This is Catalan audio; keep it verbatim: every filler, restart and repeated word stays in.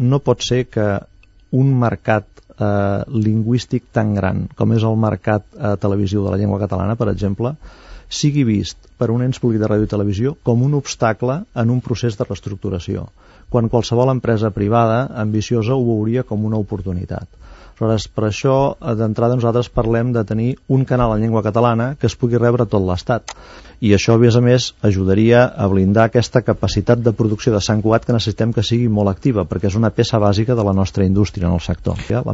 no pot ser que un mercat eh, lingüístic tan gran com és el mercat eh, televisiu de la llengua catalana, per exemple, sigui vist per un ens públic de ràdio i televisió com un obstacle en un procés de reestructuració, quan qualsevol empresa privada ambiciosa ho veuria com una oportunitat. Aleshores, per això, d'entrada, nosaltres parlem de tenir un canal en llengua catalana que es pugui rebre a tot l'Estat. I això, a més a més, ajudaria a blindar aquesta capacitat de producció de Sant Cugat que necessitem que sigui molt activa, perquè és una peça bàsica de la nostra indústria en el sector.